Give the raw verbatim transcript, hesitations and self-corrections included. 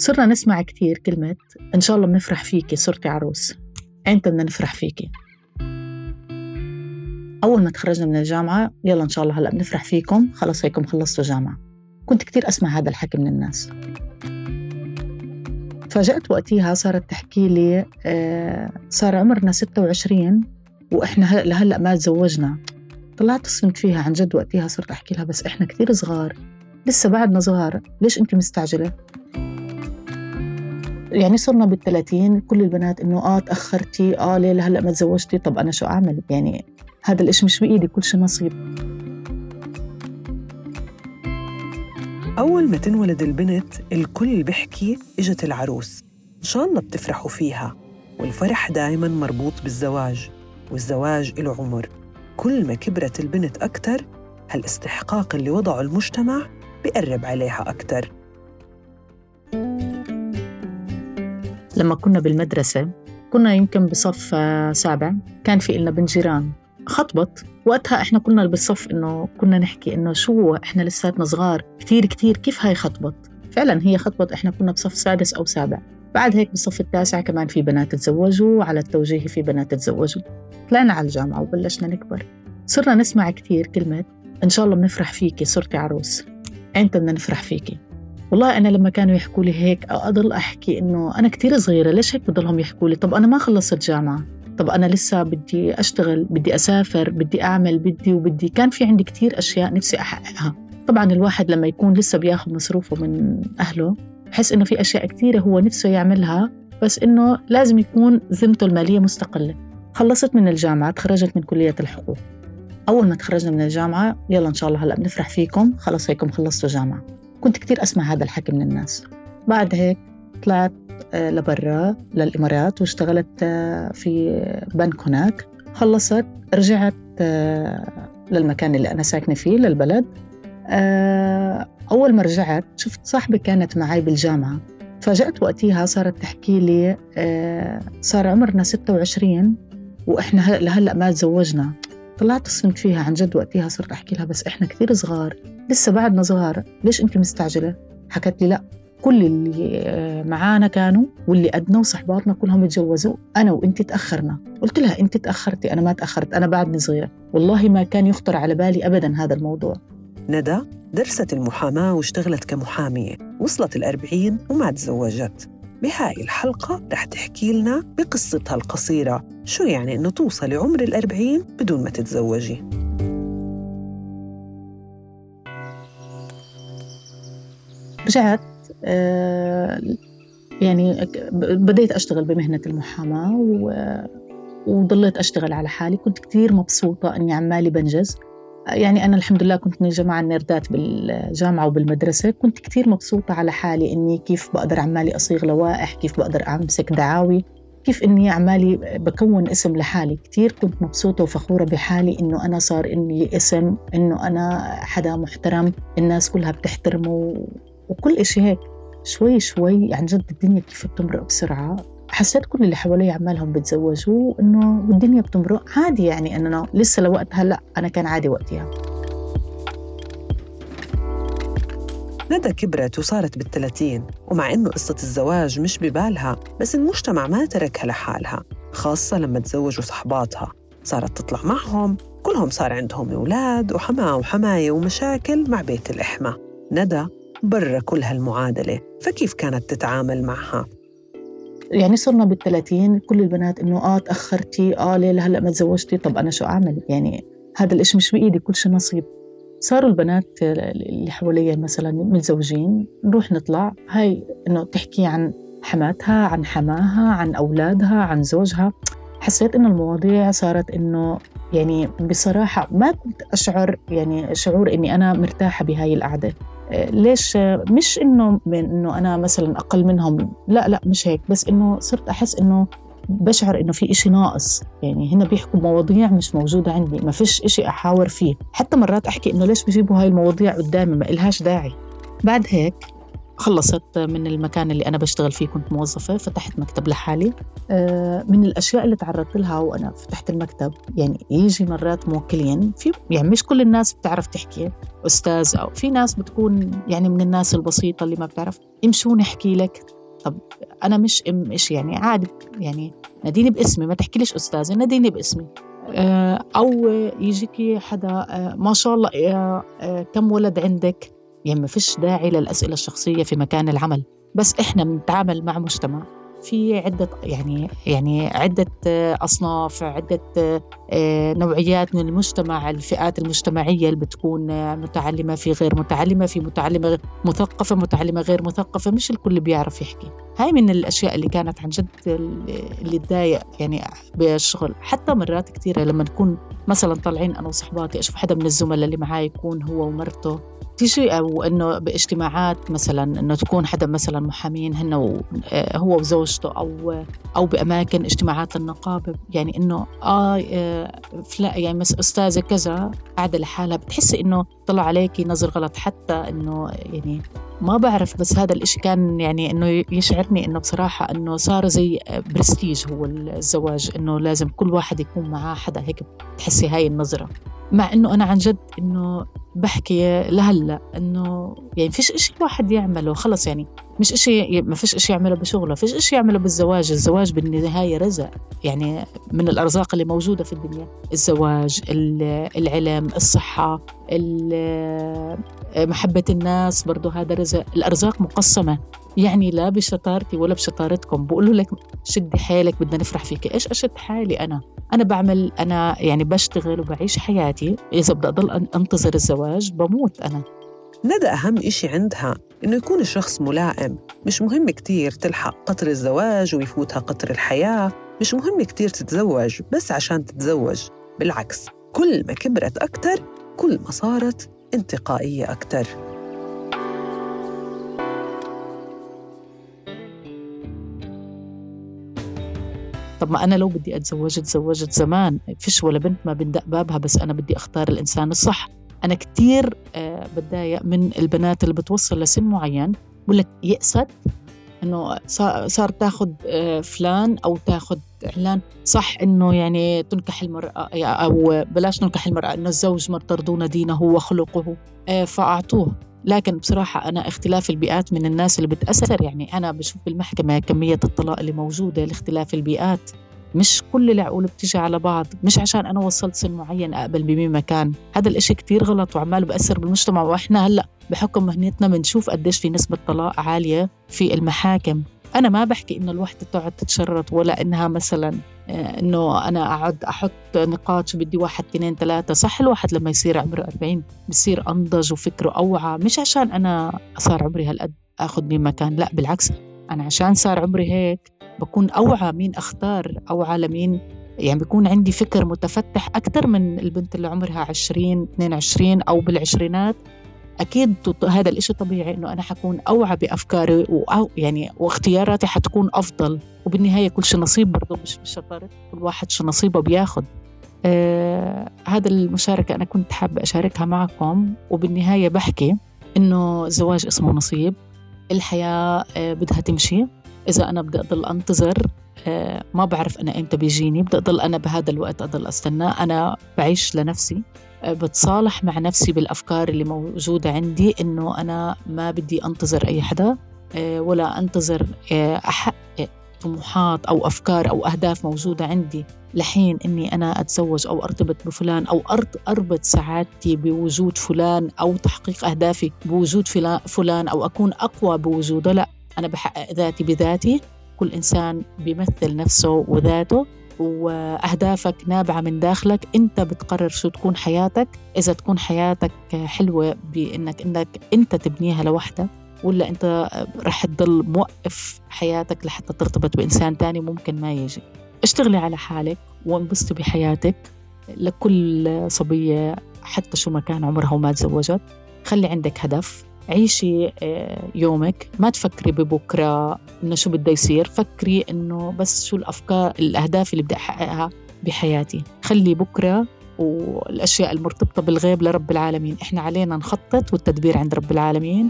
صرنا نسمع كتير كلمة إن شاء الله بنفرح فيكي صرتي عروس. أنت بدنا نفرح فيكي. أول ما تخرجنا من الجامعة يلا إن شاء الله هلأ بنفرح فيكم، خلص هيكم خلصتوا جامعة. كنت كتير أسمع هذا الحكي من الناس. فجأت وقتها صارت تحكي لي آه صار عمرنا ستة وعشرين وإحنا لهلأ ما تزوجنا. طلعت صمت فيها عن جد وقتها، صرت أحكي لها بس إحنا كتير صغار، لسه بعدنا صغار، ليش أنت مستعجلة؟ يعني صرنا بالثلاثين كل البنات إنه آه تأخرتي، آه ليه لهلأ ما تزوجتي. طب أنا شو أعمل؟ يعني هذا الإشي مش بإيدي، كل شي نصيب. أول ما تنولد البنت الكل بيحكي إجت العروس، إن شاء الله بتفرحوا فيها. والفرح دايماً مربوط بالزواج، والزواج له عمر. كل ما كبرت البنت أكتر هالاستحقاق اللي وضعه المجتمع بيقرب عليها أكتر. لما كنا بالمدرسة كنا يمكن بصف سابع، كان في إلنا بنت جيران خطبت. وقتها إحنا كنا بالصف إنه كنا نحكي إنه شو إحنا لساتنا صغار كتير كتير، كيف هاي خطبت؟ فعلاً هي خطبت. إحنا كنا بصف سادس أو سابع. بعد هيك بالصف التاسع كمان في بنات تزوجوا، على التوجيهي في بنات تزوجوا. طلعنا على الجامعة وبلشنا نكبر، صرنا نسمع كتير كلمة إن شاء الله بنفرح فيكي صرتي عروس. أنت بدنا نفرح فيكي. والله أنا لما كانوا يحكوا لي هيك أضل أحكي إنه أنا كتير صغيرة، ليش هيك بضلهم يحكوا لي؟ طب أنا ما خلصت جامعة، طب أنا لسه بدي أشتغل، بدي أسافر، بدي أعمل، بدي وبدي. كان في عندي كتير أشياء نفسي أحققها. طبعاً الواحد لما يكون لسه بياخد مصروفه من أهله بحس إنه في أشياء كتيرة هو نفسه يعملها، بس إنه لازم يكون ذمته المالية مستقلة. خلصت من الجامعة، تخرجت من كلية الحقوق. أول ما تخرجنا من الجامعة يلا إن شاء الله هلأ بنفرح فيكم، خلص هيكم خلصتوا جامعة. كنت كتير أسمع هذا الحكي من الناس. بعد هيك طلعت لبرا للإمارات واشتغلت في بنك هناك. خلصت رجعت للمكان اللي أنا ساكنة فيه للبلد. أول ما رجعت شفت صاحبي كانت معي بالجامعة، فجأت وقتها صارت تحكي لي صار عمرنا ستة وعشرين وإحنا لهلأ ما تزوجنا. طلعت صمت فيها عن جد وقتها، صرت أحكي لها بس إحنا كتير صغار، لسه بعدنا صغار، ليش أنت مستعجلة؟ حكت لي لا، كل اللي معانا كانوا واللي قدنا وصحباتنا كلهم يتجوزوا، أنا وإنتي تأخرنا. قلت لها أنت تأخرتي، أنا ما تأخرت، أنا بعدني صغيرة. والله ما كان يخطر على بالي أبداً هذا الموضوع. ندى درست المحاماة واشتغلت كمحامية، وصلت الأربعين وما تزوجت. بهاي الحلقة رح تحكي لنا بقصتها القصيرة شو يعني إنه توصلي عمر الأربعين بدون ما تتزوجي. رجعت آه يعني بديت أشتغل بمهنة المحاماة وضليت أشتغل على حالي. كنت كتير مبسوطة أني عمالي بنجز. يعني أنا الحمد لله كنت من الجماعة النردات بالجامعة وبالمدرسة. كنت كتير مبسوطة على حالي إني كيف بقدر عمالي أصيغ لوائح، كيف بقدر أمسك دعاوي، كيف إني عمالي بكون اسم لحالي. كتير كنت مبسوطة وفخورة بحالي إنه أنا صار إني اسم، إنه أنا حدا محترم، الناس كلها بتحترمه وكل إشي هيك. شوي شوي عن جد الدنيا كيف بتمرق بسرعة. حسيت كل اللي حوالي عمالهم بتزوجوا إنه الدنيا بتمرق عادي، يعني أننا لسه لوقتها لا، أنا كان عادي وقتها. ندى كبرت وصارت بالثلاثين، ومع إنه قصة الزواج مش ببالها، بس المجتمع ما تركها لحالها، خاصة لما تزوجوا صحباتها. صارت تطلع معهم، كلهم صار عندهم أولاد وحماة وحماية ومشاكل مع بيت الإحمى. ندى برا كل هالمعادلة، فكيف كانت تتعامل معها؟ يعني صرنا بالثلاثين كل البنات إنه آه تأخرتي، آه ليه لهلأ ما تزوجتي. طب أنا شو أعمل؟ يعني هذا الإشي مش بإيدي، كل شي نصيب. صاروا البنات اللي حواليا مثلا متزوجين، نروح نطلع، هاي إنه تحكي عن حماتها، عن حماها، عن أولادها، عن زوجها. حسيت إنه المواضيع صارت إنه يعني بصراحة ما كنت أشعر يعني شعور إني أنا مرتاحة بهاي القعدة. ليش؟ مش إنه من إنه أنا مثلاً أقل منهم، لا لا مش هيك، بس إنه صرت أحس إنه بشعر إنه في إشي ناقص. يعني هنا بيحكوا مواضيع مش موجودة عندي، ما فيش إشي أحاور فيه. حتى مرات أحكي إنه ليش بيجيبوا هاي المواضيع قدامي، ما إلهاش داعي. بعد هيك خلصت من المكان اللي أنا بشتغل فيه، كنت موظفة، فتحت مكتب لحالي. من الأشياء اللي تعرضت لها وأنا فتحت المكتب، يعني يجي مرات موكلين في، يعني مش كل الناس بتعرف تحكي أستاذ، أو في ناس بتكون يعني من الناس البسيطة اللي ما بتعرف امشون احكي لك. طب أنا مش ام إيش يعني عادي، يعني ناديني باسمي، ما تحكي ليش أستاذة، ناديني باسمي. أو يجيكي حدا ما شاء الله كم ولد عندك، يعني ما فيش داعي للأسئلة الشخصية في مكان العمل، بس إحنا بنتعامل مع مجتمع في عدة يعني يعني عدة أصناف، عدة نوعيات من المجتمع، الفئات المجتمعية اللي بتكون متعلمة، في غير متعلمة، في متعلمة غير مثقفة، متعلمة غير مثقفة، مش الكل بيعرف يحكي. هاي من الأشياء اللي كانت عن جد اللي تضايق يعني بالشغل. حتى مرات كتيرة لما نكون مثلا طالعين أنا وصحباتي، أشوف حدا من الزملاء اللي معاي يكون هو ومرته تيجي، أو إنه باجتماعات مثلا إنه تكون حدا مثلا محامين هن هو وزوجته، أو أو بأماكن اجتماعات النقابة، يعني إنه آه فلا يعني مس أستاذة كذا قاعدة لحالها، بتحسي إنه طلع عليكي نظر غلط. حتى إنه يعني ما بعرف، بس هذا الإشي كان يعني إنه يشعرني إنه بصراحة إنه صار زي برستيج هو الزواج، إنه لازم كل واحد يكون معاه حدا هيك، تحسي هاي النظرة. مع إنه أنا عن جد إنه بحكي لهلا إنه يعني فيش إشي الواحد يعمله خلص، يعني مش إشي، ما فيش إشي يعمله بشغله، فيش إشي يعمله بالزواج. الزواج بالنهاية رزق، يعني من الأرزاق اللي موجودة في الدنيا. الزواج، العلم، الصحة، محبة الناس، برضو هذا رزق. الأرزاق مقسمة، يعني لا بشطارتي ولا بشطارتكم. بقولوا لك شدي حالك، بدنا نفرح فيك. إيش أشد حالي؟ أنا أنا بعمل، أنا يعني بشتغل وبعيش حياتي. إذا بدي أضل أنتظر الزواج بموت أنا. ندى أهم إشي عندها إنه يكون الشخص ملائم. مش مهم كتير تلحق قطر الزواج ويفوتها قطر الحياة، مش مهم كتير تتزوج بس عشان تتزوج. بالعكس، كل ما كبرت أكتر كل ما صارت انتقائية أكتر. طب ما أنا لو بدي أتزوج تزوجت زمان، فيش ولا بنت ما بندق بابها، بس أنا بدي أختار الإنسان الصح. أنا كتير آه بتضايق من البنات اللي بتوصل لسن معين بقول لك يأست إنه صار تاخد آه فلان أو تاخد إعلان. صح إنه يعني تنكح المرأة، أو بلاش تنكح المرأة، إنه الزوج ما ترضون دينه وخلقه آه فأعطوه. لكن بصراحة أنا اختلاف البيئات من الناس اللي بتأثر. يعني أنا بشوف بالمحكمة كمية الطلاق اللي موجودة لاختلاف البيئات. مش كل العقول بتيجي على بعض. مش عشان أنا وصلت سن معين أقبل بمين مكان. هذا الإشي كتير غلط وعمال بأثر بالمجتمع. وإحنا هلأ بحكم مهنتنا بنشوف قديش في نسبة طلاق عالية في المحاكم. أنا ما بحكي إنه الوحدة تقعد تتشرط، ولا إنها مثلا إنه أنا أقعد أحط نقاط بدي واحد اثنين ثلاثة. صح، الواحد لما يصير عمره أربعين بيصير أنضج وفكره أوعى. مش عشان أنا صار عمري هالقد أخذ مين مكان، لا بالعكس، أنا عشان صار عمري هيك بكون أوعى مين أختار، أوعى لمين. يعني بيكون عندي فكر متفتح أكتر من البنت اللي عمرها عشرين اثنين وعشرين أو بالعشرينات. أكيد هذا الإشي طبيعي إنه أنا حكون أوعى بأفكاري وأو يعني واختياراتي حتكون أفضل. وبالنهاية كل شيء نصيب، برضو مش بشطارة كل واحد شو نصيبه بياخد. آه هذا المشاركة أنا كنت حابة أشاركها معكم. وبالنهاية بحكي إنه الزواج اسمه نصيب. الحياة آه بدها تمشي. إذا أنا بدي أضل أنتظر آه ما بعرف أنا إمتى بيجيني، بدي أضل أنا بهذا الوقت أضل أستنى. أنا بعيش لنفسي، بتصالح مع نفسي بالأفكار اللي موجودة عندي، إنه أنا ما بدي أنتظر أي حدا ولا أنتظر أحقق طموحات أو أفكار أو أهداف موجودة عندي لحين إني أنا أتزوج أو أرتبط بفلان، أو أربط سعادتي بوجود فلان، أو تحقيق أهدافي بوجود فلان، أو أكون أقوى بوجوده. لا، أنا بحقق ذاتي بذاتي. كل إنسان بيمثل نفسه وذاته، وأهدافك نابعة من داخلك. أنت بتقرر شو تكون حياتك. إذا تكون حياتك حلوة بأنك إنك أنت تبنيها لوحدك، ولا أنت رح تضل موقف حياتك لحتى ترتبط بإنسان تاني ممكن ما يجي. اشتغلي على حالك وانبسطي بحياتك. لكل صبية حتى شو ما كان عمرها وما تزوجت، خلي عندك هدف. عيشي يومك، ما تفكري ببكرة إنه شو بده يصير. فكري إنه بس شو الأفكار الأهداف اللي بدي أحققها بحياتي. خلي بكرة والأشياء المرتبطة بالغيب لرب العالمين. إحنا علينا نخطط والتدبير عند رب العالمين.